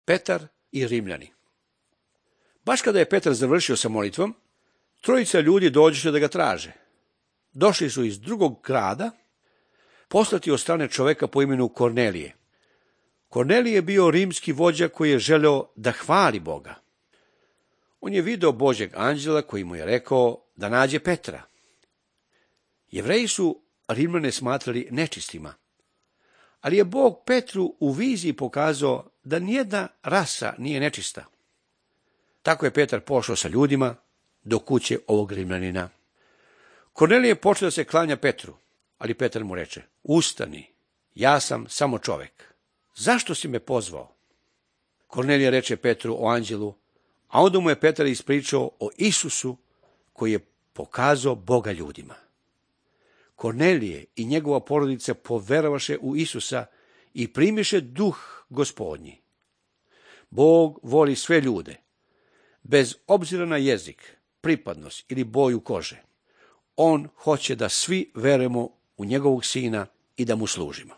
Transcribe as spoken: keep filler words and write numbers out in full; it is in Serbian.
Petar i Rimljani. Baš kada je Petar završio sa molitvom, trojica ljudi dođeše da ga traže. Došli su iz drugog grada, poslati od strane čoveka po imenu Kornelije. Kornelije je bio rimski vođa koji je želeo da hvali Boga. On je video Božjeg anđela koji mu je rekao da nađe Petra. Jevreji su Rimljane smatrali nečistima, ali je Bog Petru u viziji pokazao da nijedna rasa nije nečista. Tako je Petar pošao sa ljudima do kuće ovog Rimljanina. Kornelije počeo da se klanja Petru, ali Petar mu reče: ustani, ja sam samo čovek. Zašto si me pozvao? Kornelije reče Petru o anđelu, a onda mu je Petar ispričao o Isusu koji je pokazao Boga ljudima. Kornelije i njegova porodica poverovaše u Isusa i primiše duh Gospodnji. Bog voli sve ljude, bez obzira na jezik, pripadnost ili boju kože. On hoće da svi verujemo u njegovog sina i da mu služimo.